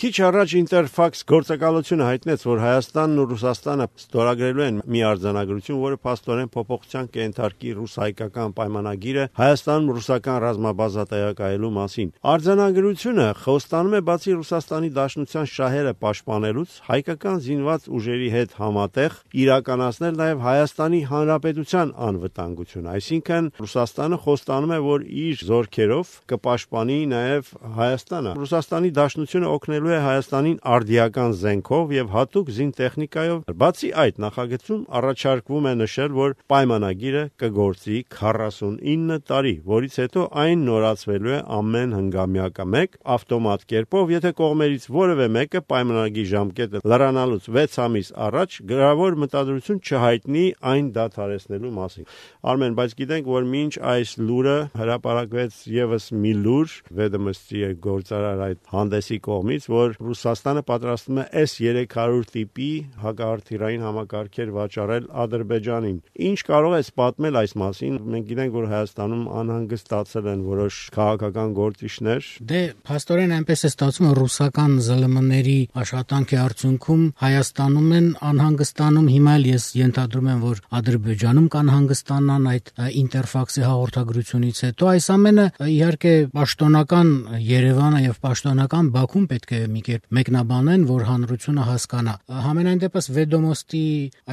Քիչ առաջ Ինտերֆաքս գործակալությունը հայտնեց, որ Հայաստանն ու Ռուսաստանը ստորագրելու են մի արձանագրություն, որը փաստորեն փոփոխության կենթարկի ռուս-հայկական պայմանագիրը Հայաստանում ռուսական ռազմաբազա տեղակայելու մասին։ Արձանագրությունը խոստանում է բացի Ռուսաստանի Դաշնության շահերը պաշտպանելուց, հայկական զինված ուժերի հետ համատեղ իրականացնել նաև Հայաստանի Հանրապետության անվտանգությունը, այսինքն Ռուսաստանը խոստանում է, որ իր զորքերով կպաշտպանի նաև Հայաստանը։ Ռուսաստանի Դաշնությունը օգնելու է Հայաստանին արդիական զենքով եւ հատուկ զինտեխնիկայով։ Բացի այդ, նախագծում առաջարկվում է նշել, որ պայմանագիրը կգործի 49 տարի, որից հետո այն նորացվելու է ամեն հնգամյակը մեկ ավտոմատ կերպով, եթե կողմերից որևէ մեկը պայմանագիրի ժամկետը լրանալուց 6 ամիս առաջ գրավոր մտադրություն չհայտնի այն դադարեցնելու մասին։ Արմեն, բայց գիտենք, որ մինչ այս լուրը հրապարակվեց եւս մի լուր Վեդոմստի գործարար այդ հանդեսի կողմից, որ Ռուսաստանը պատրաստվում է S-300 տիպի հակաարթիլերային համակարգեր վաճառել Ադրբեջանին։ Ինչ կարող ես պատմել այս մասին։ Մենք գիտենք, որ Հայաստանում անհանգստացել են որոշ քաղաքական գործիչներ։ Դե, փաստորեն այնպես է ստացվում, որ ռուսական ԶԼՄ-ների աշխատանքի արդյունքում Հայաստանում են անհանգստանում։ Հիմա էլ ես ենթադրում եմ, որ Ադրբեջանում կանհանգստանան այդ Ինտերֆաքսի հաղորդագրությունից հետո։ Այս ամենը իհարկե պաշտոնական Երևանը եւ պաշտոնական Բաքուն պետք է մի կերպ մեկնաբանեն, որ հանրությունը հասկանա։ Համենայն դեպս Վեդոմոստի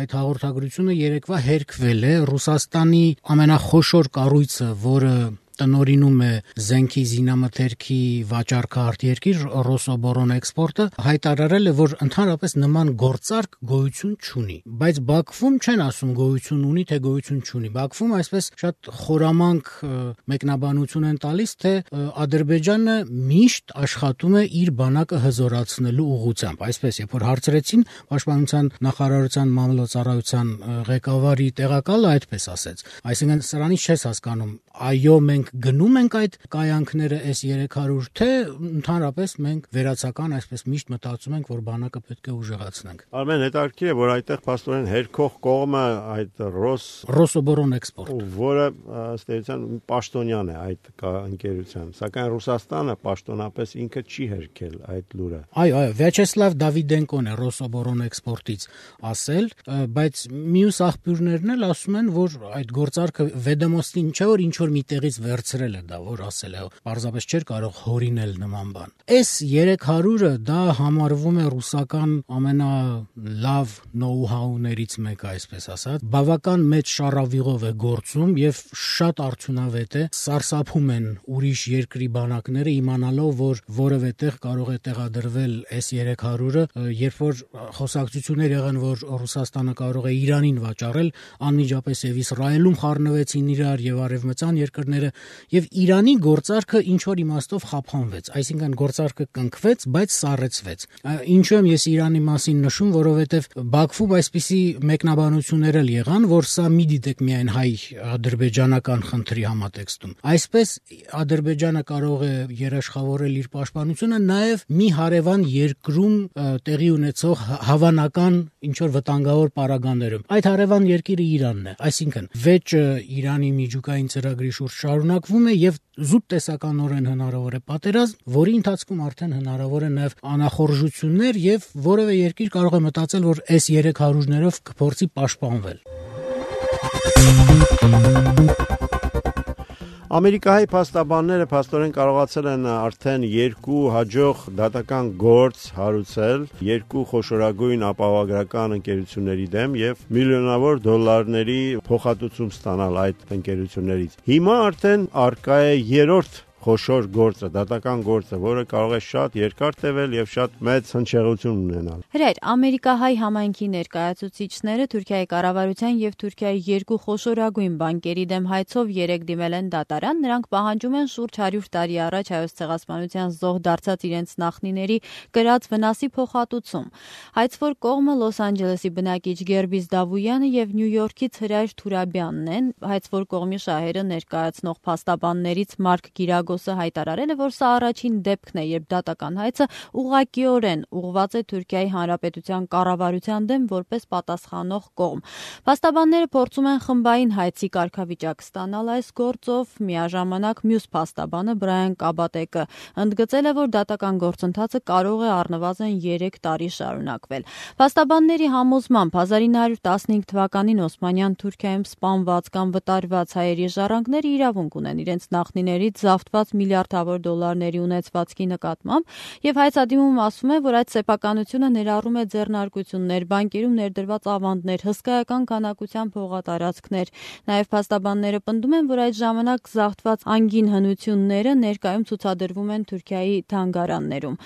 այդ հաղորդագրությունը երեկվա հերքվել է Ռուսաստանի ամենախոշոր կառույցը, որը տնօրինում է զենքի զինամթերքի վաճառքը արտերկիր Ռոսոբոռոնէքսպորտը, հայտարարել է, որ ընդհանրապես նման գործարք գոյություն չունի, բայց Բաքվում չեն ասում գոյություն ունի, թե գոյություն չունի։ Բաքվում այսպես շատ խորամանկ մեկնաբանություն են տալիս, թե Ադրբեջանը միշտ աշխատում է իր բանակը հզորացնելու ուղղությամբ։ Այսպես, երբ որ հարցրեցին պաշտպանության նախարարության մամլոյցարայության ղեկավարի տեղակալը այդպես ասեց։ Այսինքն սրանից չես հասկանում, այո, մենք գնում ենք այդ կայանքները S-300, թե ընդհանրապես մենք վերացական այսպես միշտ մտածում ենք, որ բանակը պետք է ուժեղացնենք։ Արմեն, հետաքրքիր է, որ այդտեղ փաստորեն հերքող կողմը այդ Ռոսոբոռոնէքսպորտ, որը ըստ էության պաշտոնյան է այդ ընկերության, սակայն Ռուսաստանը պաշտոնապես ինքը չի հերքել այդ լուրը։ Այո, Վյաչեսլավ Դավիդենկոն է Ռոսոբոռոնէքսպորտից ասել, բայց մյուս աղբյուրներն էլ ասում են, որ այդ գործարքը Վեդոմոստին չէ, որ ինչ որ միտեղից վերցրել է դա, որ ասել է, պարզապես չէր կարող հորինել նման բան։ S-300-ը դա համարվում է ռուսական ամենալավ նոու-հաուներից մեկը, այսպես ասած, բավական մեծ շառավիղով է գործում եւ շատ արդյունավետ է, սարսափում են ուրիշ երկրի բանակները իմանալով, որ որևէ տեղ կարող է տեղադրվել S-300-ը, երբ որ խոսակցություններ եղան, որ Ռուսաստանը կարող է Իրանին վաճառել, անմիջապես եւ Իսրայելում խառնվեցին իրար եւ արևմտյան երկրները եւ Իրանի գործարքը ինչ որ իմաստով խափանվեց, այսինքն գործարքը կնքվեց, բայց սառեցվեց։ Ինչու եմ ես Իրանի մասին նշում, որովհետեւ Բաքվում այսպիսի մեկնաբանություններ էլ եղան, որ սա մի դիտեք միայն հայ-ադրբեջանական խնդրի համատեքստում։ Այսպես Ադրբեջանը կարող է երաշխավորել իր պաշտպանությունը նաեւ մի հարևան երկրում տեղի ունեցող հավանական ինչ որ վտանգավոր պարագաներում։ Այդ հարևան երկիրը Իրանն է, այսինքն վեճը Իրանի միջուկային ծրագրի շուրջ շարունակվում է եւ զուտ տեսականորեն հնարավոր է պատերազմ, որի ընթացքում արդեն հնարավոր է նաեւ անախորժություններ եւ որևէ երկիր կարող է մտածել, որ S-300-ներով կփորձի պաշտպանվել։ Ամերիկայի փաստաբանները փաստորեն կարողացել են արդեն 2 հաջող դատական գործ հարուցել 2 խոշորագույն ապահովագրական ընկերությունների դեմ եւ միլիոնավոր դոլարների փոխհատուցում ստանալ այդ ընկերություններից։ Հիմա արդեն արկա է 3-րդ խոշոր գործը, դատական գործը, որը կարող է շատ երկար տևել եւ շատ մեծ հնչեղություն ունենալ։ Հրայր, ամերիկահայ համայնքի ներկայացուցիչները Թուրքիայի կառավարության եւ Թուրքիայի 2 խոշորագույն բանկերի դեմ հայցով 3 դիմել են դատարան, նրանք պահանջում են շուրջ 100 տարի առաջ հայոց ցեղասպանության զոհ դարձած իրենց նախնիների կրած վնասի փոխհատուցում։ Հայցվոր կողմը Լոս Անջելեսի բնակիչ Գերբիս Դավույանը եւ Նյու Յորքից Հրայր Թուրաբյանն են, հայցվոր կողմի շահերը ներկայացնող փաստաբաններից Մարկ Գիրագ Արագոսը հայտարարել է, որ սա առաջին դեպքն է, երբ դատական հայցը ուղղակիորեն ուղղված է Թուրքիայի Հանրապետության կառավարության դեմ որպես պատասխանող կողմ։ Փաստաբանները փորձում են խմբային հայցի կարգավիճակ ստանալ այս գործով, միաժամանակ մյուս փաստաբանը Բրայան Կաբատեկը ընդգծել է, որ դատական գործընթացը կարող է առնվազն 3 տարի շարունակվել։ Փաստաբանների համոզմամբ 1915 թվականին Օսմանյան Թուրքիայում սպանված կամ վտարված հայերի ժառանգները իրավունք ունեն իրենց նախնիներից զավթված միլիարդավոր դոլարների ունեցվածքի նկատմամբ, եւ հայցադիմում ասվում է, որ այդ սեփականությունը ներառում է ձեռնարկություններ, բանկերում ներդրված ավանդներ, հսկայական քանակությամբ հողատարածքներ։ Նաեւ փաստաբանները պնդում են, որ այդ ժամանակ զավթված անգին հնությունները ներկայում ցուցադրվում են Թուրքիայի թանգարաններում։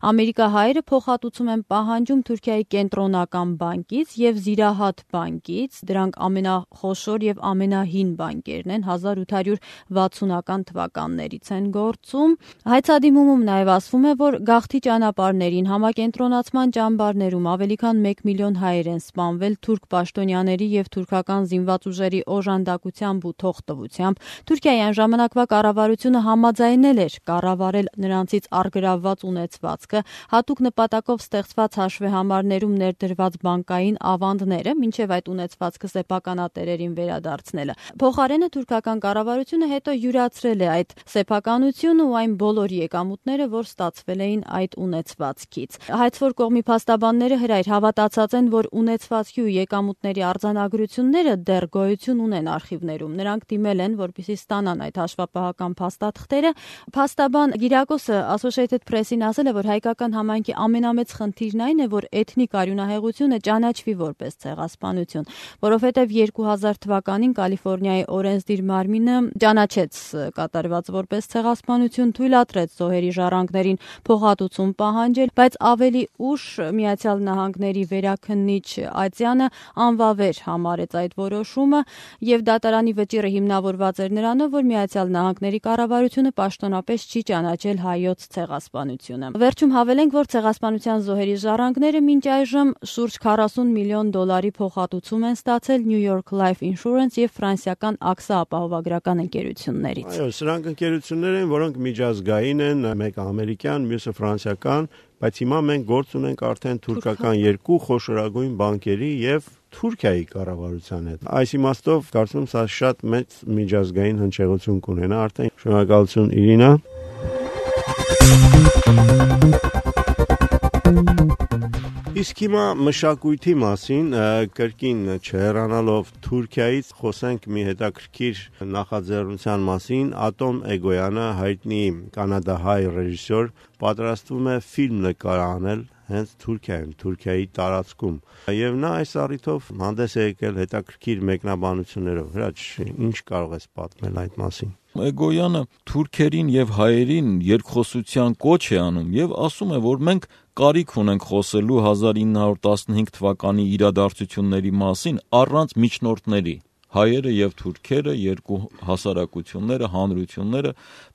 Ամերիկահայերը փոխհատուցում են պահանջում Թուրքիայի կենտրոնական բանկից եւ Զիրահատ բանկից, դրանք ամենախոշոր եւ ամենահին բանկերն են, 1860-ական թվականներից են գործում։ Հայցադիմումում նաեւ ասվում է, որ գաղթի ճանապարհներին, համակենտրոնացման ճամբարներում ավելի քան 1 միլիոն հայեր են սպանվել թուրք պաշտոնյաների եւ թուրքական զինված ուժերի օժանդակությամբ ու թողտվությամբ։ Թուրքիայի այն ժամանակվա կառավարությունը համաձայնել էր կառավարել նրանցից առգրավված ունեցվածքը, հատուկ նպատակով ստեղծված հաշվեհամարներում ներդրված բանկային ավանդները, մինչև այդ ունեցվածքը սեփականատերերին վերադարձնելը։ Փոխարենը թուրքական կառավարությունը հետո յուրացրել է այդ սեփականությունը ու այն բոլոր եկամուտները, որ ստացվել էին այդ ունեցվածքից։ Հայցվոր կողմի փաստաբանները հրայր հավատացած են, որ ունեցվածքի ու եկամուտների արձանագրությունները դեռ գոյություն ունեն արխիվներում։ Նրանք դիմել են, որպեսզի ստանան այդ հաշվապահական փաստաթղթերը։ Փաստաբան Գիրակոսը Associated Press-ին ասել է, որ հայկական համայնքի ամենամեծ խնդիրն այն է, որ էթնիկ արյունահեղությունը ճանաչվի որպես ցեղասպանություն, որովհետև 2000 թվականին Կալիֆոռնիայի օրենսդիր մարմինը ճանաչեց կատարված որպես ցեղասպանություն, թույլատրեց զոհերի ժառանգներին փոխհատուցում պահանջել, բայց ավելի ուշ Միացյալ Նահանգների վերաքննիչ Ատյանը անվավեր համարեց այդ որոշումը եւ դատարանի վճիռը հիմնավորված էր նրանով, որ Միացյալ Նահանգների կառավարությունը պաշտոնապես չի ճանաչել հայոց ցեղասպանությունը։ Վերջում հավելենք, որ ցեղասպանության զոհերի ժառանգները մինչ այժմ շուրջ 40 միլիոն դոլարի փոխհատուցում են ստացել New York Life Insurance եւ ֆրանսիական AXA ապահովագրական ընկերություններից։ Այո, սրանք ընկերություններ են, որոնք միջազգային են, մեկը ամերիկյան, մյուսը ֆրանսիական, բայց հիմա մենք գործ ունենք արդեն թուրքական երկու խոշորագույն բանկերի եւ Թուրքիայի կառավարության հետ։ Այս իմաստով կարծում եմ սա շատ մեծ միջազգային հնչեղություն կունենա արդեն։ Շնորհակալություն Իրինա։ Իսկ հիմա մշակույթի մասին կրկին չհեռանալով Թուրքիայից խոսենք մի հետաքրքիր նախաձեռնության մասին։ Ատոմ Էգոյանը, հայտնի կանադահայ ռեժիսոր, պատրաստվում է ֆիլմ նկարահանել հենց Թուրքիայում, Թուրքիայի տարածքում։ Եվ նա այս առիթով հանդես է եկել հետաքրքիր մեկնաբանություններով։ Հրաչ, ինչ կարող ես պատմել այդ մասին։ Էգոյանը թուրքերին եւ հայերին երկխոսության կոչ է անում եւ ասում է, որ մենք կարիք ունենք խոսելու 1915 թվականի իրադարձությունների մասին առանց միջնորդների։ Հայերը եւ թուրքերը, երկու հասարակությունները, հանրությունները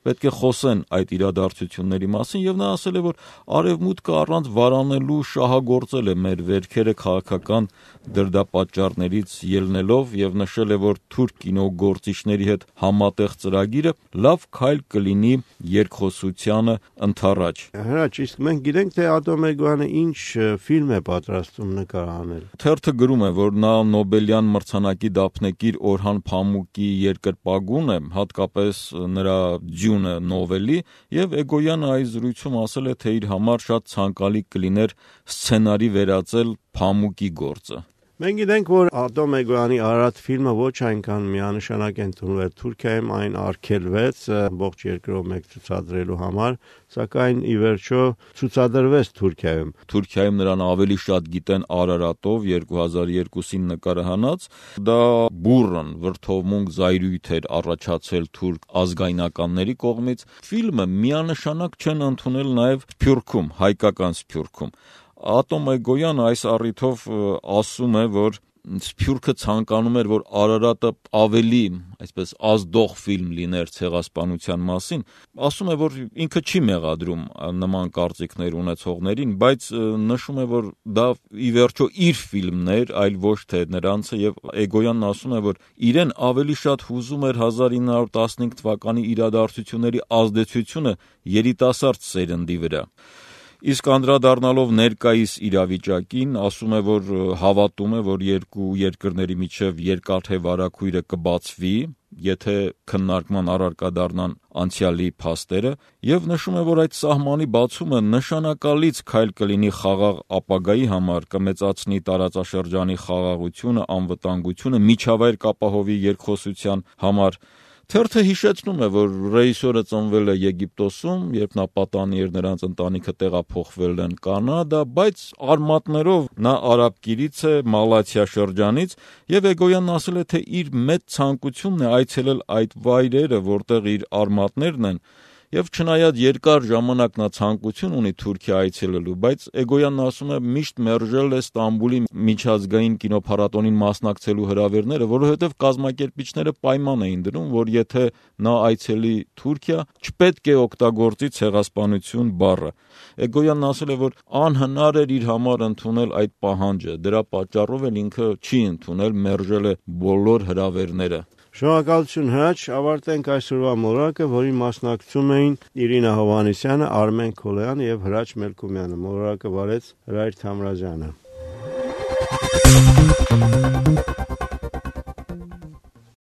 պետք է խոսեն այդ իրադարձությունների մասին եւ նա ասել է, որ արևմուտքը առանց վարանելու շահագործել է մեր վերքերը քաղաքական դրդապատճառներից ելնելով եւ նշել է, որ թուրք կինոգործիչների հետ համատեղ ծրագիրը լավ քայլ կլինի երկխոսությանը ընթառաջ։ Հրաչ, իսկ մենք գիտենք, թե Ատոմ Էգոյանը ինչ ֆիլմ է պատրաստում նկարահանել։ Թերթը գրում է, որ նա Նոբելյան մրցանակի դափնեկիր Օրհան Փամուկի երկրպագուն է, հատկապես նրա Ջյունը նովելի, եւ Էգոյանը այս զրույցում ասել է, թե իր համար շատ ցանկալի կլիներ սցենարի վերածել Փամուկի գործը։ Մենք գիտենք, որ Ատոմ Էգոյանի արարած ֆիլմը ոչ այնքան միանշանակ է ընդունվել Թուրքիայում, այն արգելվեց ողջ երկրով մեկ ցուցադրելու համար, սակայն ի վերջո ցուցադրվեց Թուրքիայում։ Թուրքիայում նրան ավելի շատ գիտեն Արարատով 2002-ին նկարահանած, դա բուրըն վրթովմունք զայրույթ էր առաջացել թուրք ազգայնականների կողմից։ Ֆիլմը միանշանակ չեն ընդունել նաև Սփյուռքում, հայկական Սփյուռքում։ Ատոմ Էգոյանը այս առիթով ասում է, որ Սփյուռքը ցանկանում էր, որ Արարատը ավելի, այսպես, ազդող ֆիլմ լիներ ցեղասպանության մասին, ասում է, որ ինքը չի մեղադրում նման կարծիքներ ունեցողներին, բայց նշում է, որ դա ի վերջո իր ֆիլմն էր, այլ ոչ թե նրանցը, եւ Էգոյանն ասում է, որ իրեն ավելի շատ հուզում էր 1915 թվականի իրադարձությունների ազդեցությունը երիտասարդ սերնդի վրա։ Իսկ անդրադառնալով ներկայիս իրավիճակին, ասում է, որ հավատում է, որ երկու երկրների միջև երկաթե վարագույրը կբացվի, եթե քննարկման առարկա դառնան անցյալի փաստերը, եւ նշում է, որ այդ սահմանի բացումը նշանակալից քայլ կլինի խաղաղ ապագայի համար, կմեծացնի տարածաշրջանի խաղաղությունը, անվտանգությունը, միջավայր կապահովի երկխոսության համար։ Թերթը հիշեցնում է, որ ռեժիսորը ծնվել է Եգիպտոսում, երբ նա պատանի էր, նրանց ընտանիքը տեղափոխվել են Կանադա, բայց արմատներով նա արաբկիրից է, Մալաթիա շրջանից, եւ Էգոյանն ասել է, թե իր մեծ ցանկությունն է այցելել այդ վայրերը, որտեղ իր արմատներն են, եւ չնայած երկար ժամանակ նա ցանկություն ունի Թուրքիա այցելելու, բայց Էգոյանն ասում է, միշտ մերժել է Ստամբուլի միջազգային կինոփառատոնին մասնակցելու հրավերները, որովհետեւ կազմակերպիչները պայման էին դնում, որ եթե նա այցելի Թուրքիա, չպետք է օգտագործի ցեղասպանություն բառը։ Էգոյանն ասել է, որ անհնար էր իր համար ընդունել այդ պահանջը, դրա պատճառով էլ ինքը չի ընդունել, մերժել է բոլոր հրավերները։ Շնորհակալություն Հրաչ, ավարտենք այսօրվա մոլորակը, որին մասնակցում էին Իրինա Հովհաննիսյանը, Արմեն Քոլոյանը եւ Հրաչ Մելքումյանը։ Մոլորակը վարեց Հրայր Թամրազյանը։